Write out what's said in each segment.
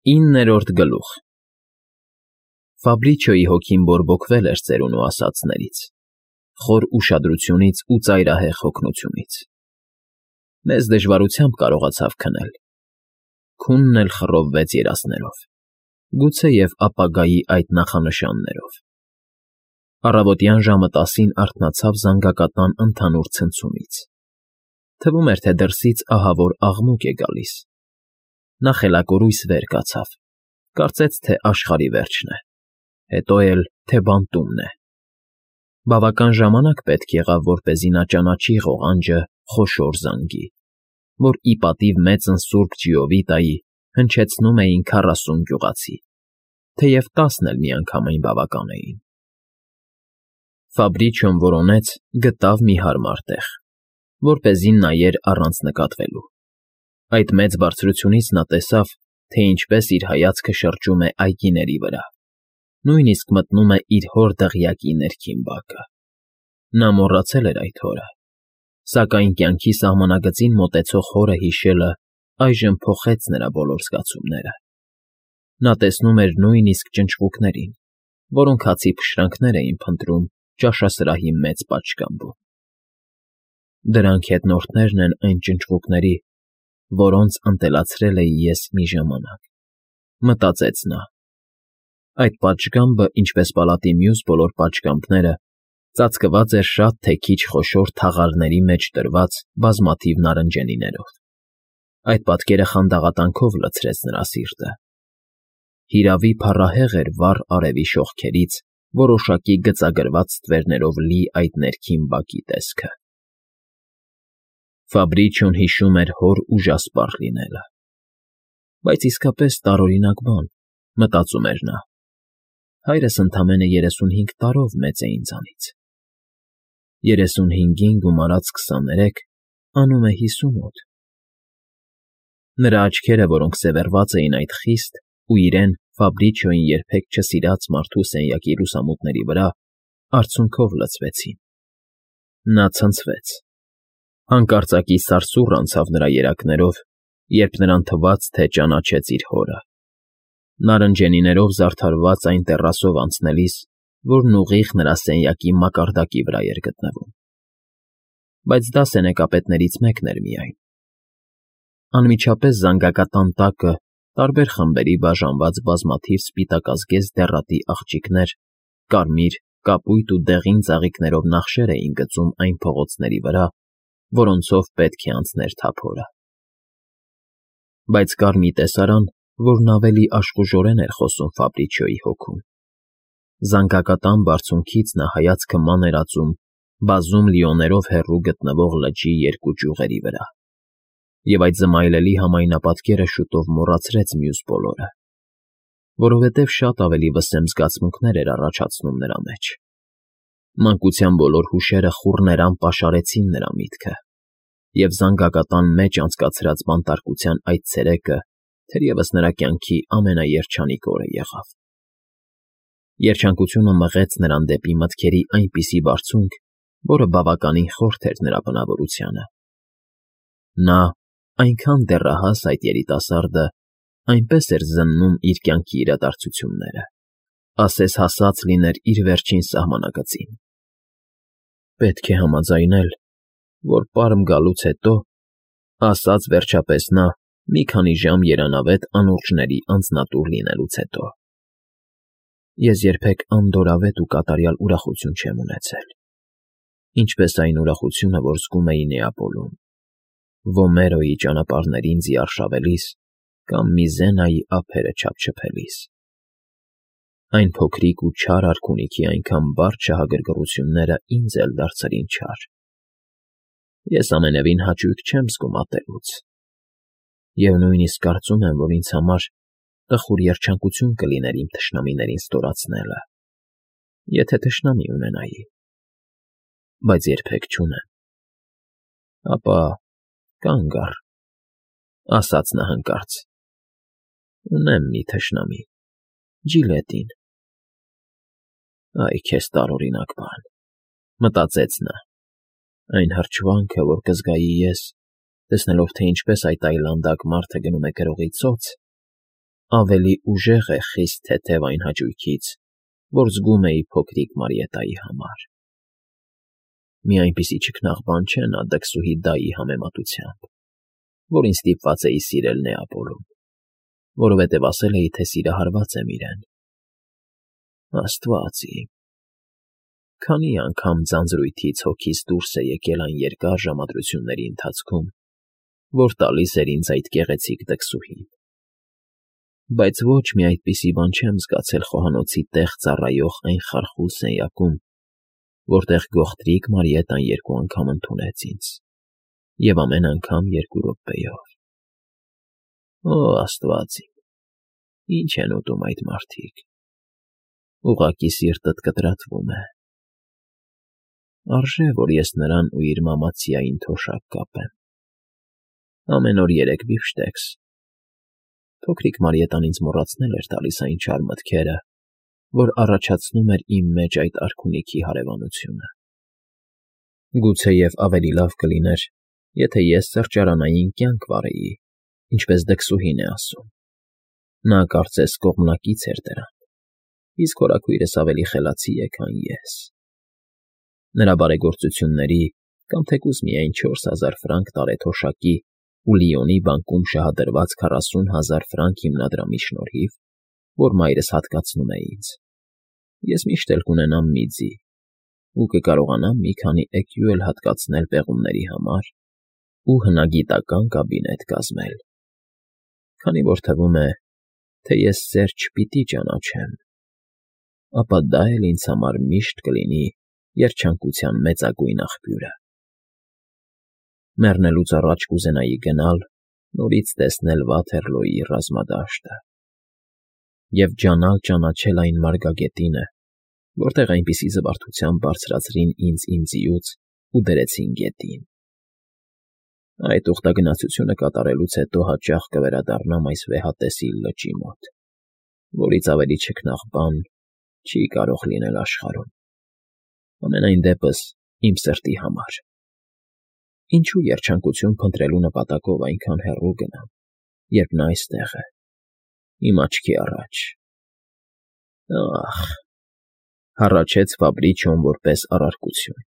9-րդ գլուխ Ֆաբրիչոյի հոգին բորբոքվել էր ծերունու ասածներից, խոր ուշադրությունից ու ծայրահեղ հոգնությունից։ Մեծ դժվարությամբ կարողացավ քնել։ Քունն էլ խռովվեց երասներով, գուցեև ապագայի այդ նախանշաններով։ Առավոտյան ժամը 10-ին արթնացավ զանգակատան ընդհանուր ցնցումից։ Թվում էր, թե դրսից ահավոր աղմուկ է գալիս։ Նա խելակորույս վեր կացավ, կարծեց, թե աշխարհի վերջն է, հետո էլ, թե բանտումն է։ Բավական ժամանակ պետք եղավ, որպեսզի նա ճանաչի ղողանջը խոշոր զանգի, որ ի պատիվ մեծն Սուրբ Ջիովիտայի հնչեցնում էին 40 գյուղացի, թեև 10 էլ միանգամայն բավական էին։ Ֆաբրիչոն որոնեց, գտավ մի հարմար տեղ, որպեսզի նայեր առանց նկատվելու։ Այդ մեծ բարձրությունից նա տեսավ, թե ինչպես իր հայացքը շրջում է այգիների վրա, նույնիսկ մտնում է իր հոր դղյակի ներքին բակը։ Նա մոռացել էր այդ հորը, սակայն կյանքի սահմանագծին մոտեցող հորը հիշելը այժմ փոխեց նրա բոլոր զգացումները։ Նա տեսնում էր նույնիսկ ճնճղուկներին, որոնք հացի փշրանքներ էին փնտրում ճաշասրահի մեծ պատշգամբում։ Դրանք հետնորդներն են այն ճնճղուկների, որոնց ընտելացրել էի ես մի ժամանակ, մտածեց նա։ Այդ պատշգամբը, ինչպես պալատի մյուս բոլոր պատշգամբները, ծածկված էր շատ թե քիչ խոշոր թաղարների մեջ դրված բազմաթիվ նարնջենիներով։ Այդ պատկերը խանդաղատանքով լցրեց նրա սիրտը։ Հիրավի փառահեղ էր վառ արևի շողքերից որոշակի գծագրված ստվերներով լի այդ ներքին բակի տեսքը։ Ֆաբրիչոն հիշում էր հոր ուժասպառ լինելը։ Բայց իսկապես տարօրինակ բան, մտածում էր նա։ Հայրս ընդամենը 35 տարով մեծ է ինձանից։ 35-ին գումարած 23 անում է 58։ Նրա աչքերը, որոնք սևեռված էին այդ խիստ ու իրեն Ֆաբրիչոյին երբեք չսիրած մարդու սենյակի լուսամուտների վրա, արցունքով լցվեցին։ Նա ցնցվեց։ Հանկարծակի սարսուռ անցավ նրա երակներով, երբ նրան թվաց, թե ճանաչեց իր հորը։ Նարնջենիներով զարդարված այն տեռասով անցնելիս, որն ուղիղ նրա սենյակի մակարդակի վրա էր գտնվում։ Բայց դա սենեկապետներից մեկն էր միայն։ Անմիջապես զանգակատան տակը տարբեր խմբերի բաժանված բազմաթիվ սպիտակազգեստ դեղատի աղջիկներ, կարմիր, կապույտ ու դեղին ծաղիկներով նախշեր էին գծում այն փողոցների վրա, որոնցով պետք է անցներ թափորը։ Բայց կար մի տեսարան, որն ավելի աշխուժորեն էր խոսում Ֆաբրիչոյի հոգուն։ Զանգակատան բարձունքից նա հայացքը ման էր ածում բազում լիոներով հեռու գտնվող լճի երկու ճյուղերի վրա, և այդ զմայլելի համայնապատկերը շուտով մոռացրեց մյուս բոլորը, որովհետև շատ ավելի վսեմ զգացմունքներ էր առաջացնում նրա մեջ։ Մանկության բոլոր հուշերը խուռներամ պաշարեցին նրա միտքը, և զանգակատան մեջ անցկացրած բանտարկության այդ ցերեկը թերևս նրա կյանքի ամենաերջանիկ օրը եղավ։ Երջանկությունը մղեց նրան դեպի մտքերի այնպիսի բարձունք, որը բավականին խորթ էր նրա բնավորությանը։ Նա, այնքան դեռահաս այդ երիտասարդը, այնպես էր զննում իր կյանքի իրադարձությունները, ասես հասած լիներ իր վերջին սահմանագծին։ Պետք է համաձայնել, որ պարմ գալուց հետո, ասաց վերջապես նա, մի քանի ժամ երանավետ անուրջների անձնատուր լինելուց հետո, ես երբեք անդորրավետ ու կատարյալ ուրախություն չեմ ունեցել, ինչպես այն ուրախությունը, որ զգում էի Նեապոլում, Վոմերոյի ճանապարհներին ձիարշավելիս կամ Միզենայի ափերը չափչփելիս։ Այն փոքրիկ ու չար արքունիքի այնքան բարդ շահագրգռությունները ինձ էլ դարձրին չար։ Ես ամենևին հաճույք չեմ զգում ատելուց, և նույնիսկ կարծում եմ, որ ինձ համար տխուր երջանկություն կլիներ իմ թշնամիներին ստորացնելը, եթե թշնամի ունենայի, բայց երբեք չունեմ։ Ապա կանգ առ, ասաց նա հանկարծ, ունեմ մի թշնամի, Ջիլետին։ Այ քեզ տարօրինակ բան, մտածեց նա, այն հրճվանքը, որ կզգայի ես, տեսնելով, թե ինչպես այդ այլանդակ մարդը գնում է գրողի ծոց, ավելի ուժեղ է խիստ թեթև այն հաճույքից, որ զգում էի փոքրիկ Մարիետայի համար։ Մի այնպիսի չքնաղ բան չէ նա դքսուհի Դայի համեմատությամբ, որին ստիպված էի սիրել Նեապոլում, որովհետև ասել էի, թե սիրահարված եմ իրեն։ Աստված իմ, քանի անգամ ձանձրույթից հոգիս դուրս է եկել այն երկար ժամադրությունների ընթացքում, որ տալիս էր ինձ այդ գեղեցիկ դքսուհին։ Բայց ոչ մի այդպիսի բան չեմ զգացել խոհանոցի տեղ ծառայող այն խարխուլ սենյակում, որտեղ գողտրիկ Մարիետան 2 անգամ ընդունեց ինձ, և ամեն անգամ 2 րոպեով։ Օ, Աստված իմ, ինչ են ուտում այդ մարդիկ։ Ուղղակի սիրտդ կտրատվում է։ Արժե, որ ես նրան ու իր մամացիային թոշակ կապեմ։ Ամեն օր 3 բիֆշտեքս։ Փոքրիկ Մարիետան ինձ մոռացնել էր տալիս այն չար մտքերը, որ առաջացնում էր իմ մեջ այդ արքունիքի հարևանությունը։ Գուցեև ավելի լավ կլիներ, եթե ես սրճարանային կյանք վարեի, ինչպես դքսուհին է ասում։ Նա կարծես կողմնակից էր դրան, իսկ հորաքույրս ավելի խելացի է, քան ես։ Նրա բարեգործությունների կամ թեկուզ միայն 4000 ֆրանկ տարեթոշակի ու Լիոնի բանկում շահադրված 40,000 ֆրանկ հիմնադրամի շնորհիվ, որ մայրս հատկացնում է ինձ, ես միշտ էլ կունենամ մի ձի ու կկարողանամ մի քանի էկյու էլ հատկացնել պեղումների համար ու հնագիտական կաբինետ կազմել, քանի որ թվում է, թե ես սեր չպիտի ճանաչեմ, ապա դա էլ ինձ համար միշտ կլինի երջանկության մեծագույն աղբյուրը։ Մեռնելուց առաջ կուզենայի գնալ, նորից տեսնել Վաթերլոյի ռազմադաշտը և ջանալ ճանաչել այն մարգագետինը, որտեղ այնպիսի զվարթությամբ բարձրացրին ինձ իմ ձիուց ու դրեցին գետին։ Այդ ուխտագնացությունը կատարելուց հետո հաճախ կվերադառնամ այս վեհատեսիլ լճի մոտ, որից ավելի չքնաղ բան չի կարող լինել աշխարհում, ամենայն դեպս իմ սրտի համար։ Ինչու երջանկություն փնտրելու նպատակով այնքան հեռու գնամ, երբ նա այստեղ է, իմ աչքի առաջ։ Ախ, հառաչեց Ֆաբրիչիոն որպես առարկություն։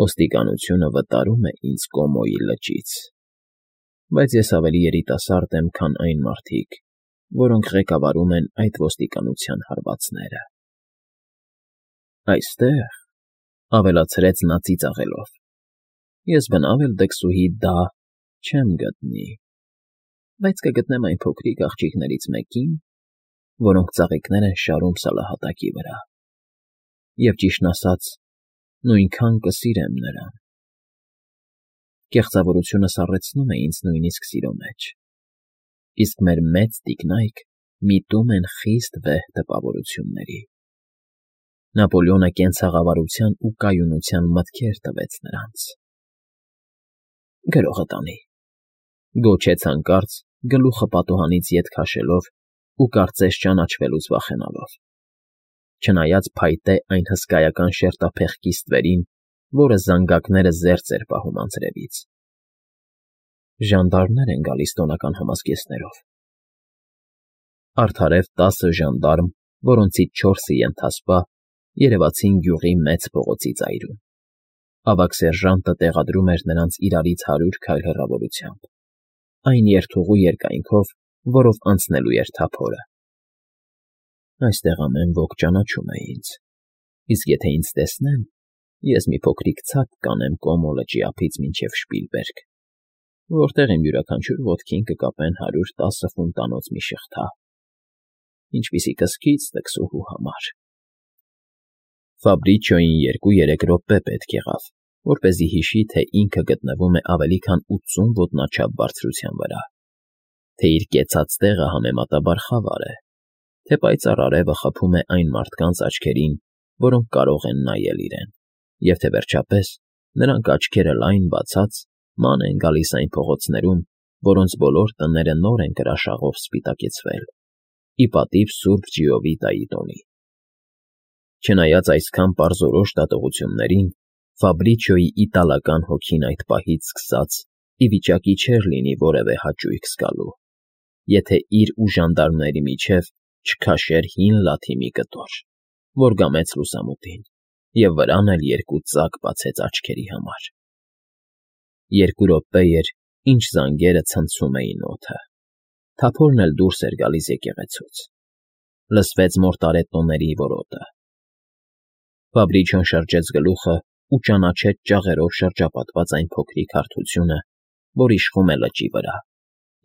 Ոստիկանությունը վտարում է ինձ Կոմոյի լճից, բայց ես ավելի երիտասարդ եմ, քան այն մարդիկ, որոնք ղեկավարում են այդ ոստիկանության հարվածները։ Այստեղ, ավելացրեց նա ծիծաղելով, ես բնավ էլ դքսուհի դա չեմ գտնի, բայց կգտնեմ այն փոքրիկ աղջիկներից մեկին, որոնք ծաղիկներ են շարում սալահատակի վրա, և ճիշտն ասած, նույնքան կսիրեմ նրան։ Կեղծավորությունը սառեցնում է ինձ նույնիսկ սիրո մեջ, իսկ մեր մեծ տիկնայք միտում են խիստ վեհ տպավորությունների։ Նապոլեոնը կենցաղավարության ու կայունության մտքեր տվեց նրանց։ Գրողը տանի, գոչեց հանկարծ գլուխը պատուհանից ետ քաշելով ու կարծես ճանաչվելուց վախենալով, չնայած փայտե այն հսկայական շերտափեղկի ստվերին, որը զանգակները զերծ էր պահում անձրևից։ Ժանդարմներ են գալիս տոնական համազգեստներով։ Արդարև 10 ժանդարմ, որոնցից 4-ը ենթասպա, երևացին գյուղի մեծ փողոցի ծայրում։ Ավագ սերժանտը տեղադրում էր նրանց իրարից 100 քայլ հեռավորությամբ, այն երթուղու երկայնքով, որով անցնելու էր թափորը։ Այստեղ ամեն ոք ճանաչում է ինձ, իսկ եթե ինձ տեսնեն, ես մի փոքրիկ ցած կանեմ Կոմո լճի ափից մինչև Շպիլբերգ, որտեղ իմ յուրաքանչյուր ոտքին կկապեն 110 ֆունտանոց մի շղթա, ինչպիսի կսկիծ դքսուհու համար։ Ֆաբրիչիոյին 2-3 րոպե պետք եղավ, որպեսզի հիշի, թե ինքը գտնվում է ավելի քան 80 ոտնաչափ բարձրության վրա, թե իր կեցած տեղը համեմատաբար խավար է, թե պայծառ արևը խփում է այն մարդկանց աչքերին, որոնք կարող են նայել իրեն, և թե վերջապես նրանք աչքերը լայն բացած ման են գալիս այն փողոցներում, որոնց բոլոր տները նոր են կրաշաղով սպիտակեցվել, ի պատիվ Սուրբ Ջիովիտայի տոնի։ Չնայած այսքան պարզորոշ դատողություններին, Ֆաբրիչիոյի իտալական հոգին այդ պահից սկսած ի վիճակի չէր լինի որևէ հաճույք զգալու։ եթե իր ու ժանդարմների միջև չքաշեր հին լաթի մի կտոր, որ գամեց լուսամուտին, և վրան էլ երկու ծակ բացեց աչքերի համար։ 2 րոպե էր, ինչ զանգերը ցնցում էին օդը, թափորն էլ դուրս էր գալիս եկեղեցուց, լսվեց մորտարե տոների որոտը։ Ֆաբրիչոն շրջեց գլուխը ու ճանաչեց ճաղերով շրջապատված այն փոքրիկ հարթությունը, որ իշխում է լճի վրա,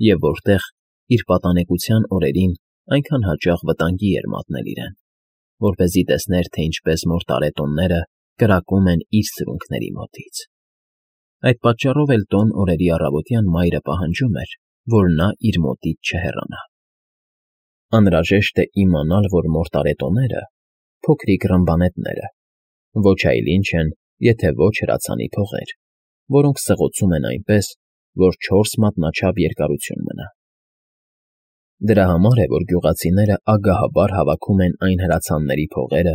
և որտեղ իր պատանեկության օրերին այնքան հաճախ վտանգի էր մատնել իրեն, որպեսզի տեսներ, թե ինչպես մորտարե տոնները կրակում են իր սրունքների մոտից։ Այդ պատճառով էլ տոն օրերի առավոտյան մայրը պահանջում էր, որ նա իր մոտից չհեռանա։ Անհրաժեշտ է իմանալ, որ մորտարե տոները փոքրիկ ռմբանետները ոչ այլ ինչ են, եթե ոչ հրացանի փողեր, որոնք սղոցում են այնպես, որ 4 մատնաչափ երկարություն մնա։ Դրա համար է, որ գյուղացիները ագահաբար հավաքում են այն հրացանների փողերը,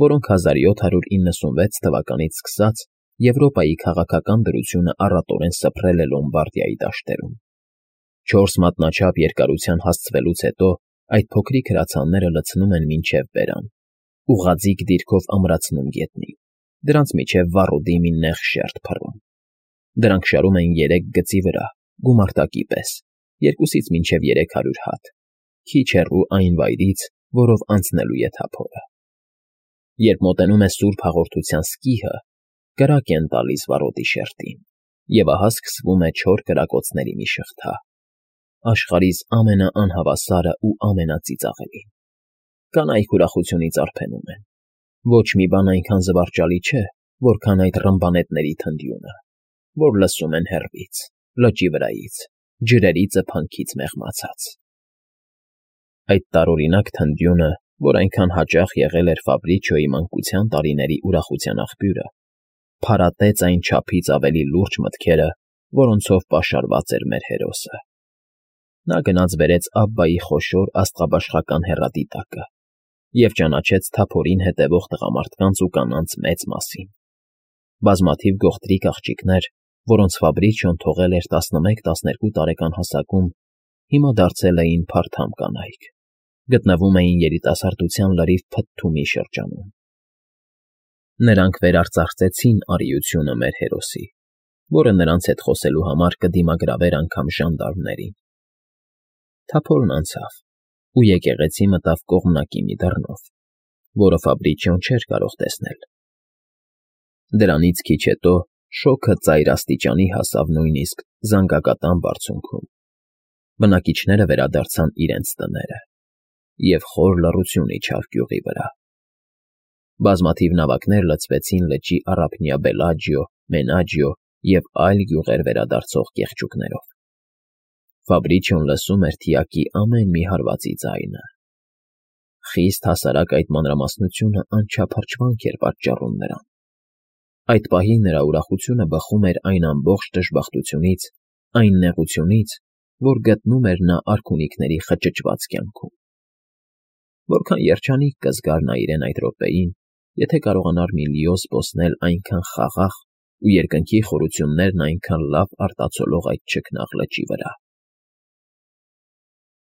որոնք 1796 թվականից սկսած Եվրոպայի քաղաքական դրությունը առատորեն սփռել է Լոմբարդիայի դաշտերում։ 4 մատնաչափ երկարության հասցվելուց հետո այդ փոքրիկ հրացանները լցնում են մինչև բերան, ուղղաձիգ դիրքով ամրացնում գետնին, դրանց միջև վառոդի մի նեղ շերտ փռում։ Դրանք շարում են 3 գծի վրա, գումարտակի պես, 2-ից մինչև 300 հատ, քիչ հեռու այն վայրից, որով անցնելու է թափորը։ Երբ մոտենում է Սուրբ Հաղորդության սկիհը, կրակ են տալիս վառոդի շերտին, և ահա սկսվում է չոր կրակոցների մի շղթա, աշխարհիս ամենաանհավասարը ու ամենածիծաղելին։ Կանայք ուրախությունից արբենում են։ Ոչ մի բան այնքան զվարճալի չէ, որքան այդ ռմբանետների թնդյունը, որ լսում են հեռվից, լճի վրայից, ջրերի ծփանքից մեղմացած։ Այդ տարօրինակ թնդյունը, որ այնքան հաճախ եղել էր Ֆաբրիչոյի մանկության տարիների ուրախության աղբյուրը, փարատեց այն չափից ավելի լուրջ մտքերը, որոնցով պաշարված էր մեր հերոսը։ Նա գնաց բերեց Աբբայի խոշոր աստղաբաշխական հեռադիտակը և ճանաչեց թափորին հետևող տղամարդկանց ու կանանց մեծ մասին։ Բազմաթիվ գողտրիկ աղջիկներ, որոնց Ֆաբրիչոն թողել էր 11-12 տարեկան հասակում, հիմա դարձել էին փարթամ կանայք, գտնվում էին երիտասարդության լրիվ փթթումի շրջանում։ Նրանք վերարծարծեցին արիությունը մեր հերոսի, որը նրանց հետ խոսելու համար կդիմագրավեր անգամ ժանդարմներին։ Թափորն անցավ, ու եկեղեցի մտավ կողմնակի մի դռնով, որը Ֆաբրիչոն չէր կարող տեսնել։ Դրանից քիչ հետո շոգը ծայր աստիճանի հասավ նույնիսկ զանգակատան բարձունքում։ Բնակիչները վերադարձան իրենց տները, և խոր լռություն իջավ գյուղի վրա։ Բազմաթիվ նավակներ լցվեցին լճի առափնյա Բելաջիո, Մենաջիո և այլ գյուղեր վերադարձող կեղճուկներով։ Ֆաբրիչոն լսում էր թիակի ամեն մի հարվածի ձայնը։ Խիստ հասարակ այդ մանրամասնությունը անչափ հրճվանք էր պատճառում նրան։ Այդ պահին նրա ուրախությունը բխում էր այն ամբողջ դժբախտությունից, այն նեղությունից, որ գտնում էր նա արքունիքների խճճված կյանքում։ Որքան երջանիկ կզգար նա իրեն այդ րոպեին, եթե կարողանար միլիոն զբոսնել այնքան խաղաղ ու երկնքի խորություններն այնքան լավ արտացոլող այդ չքնաղ լճի վրա։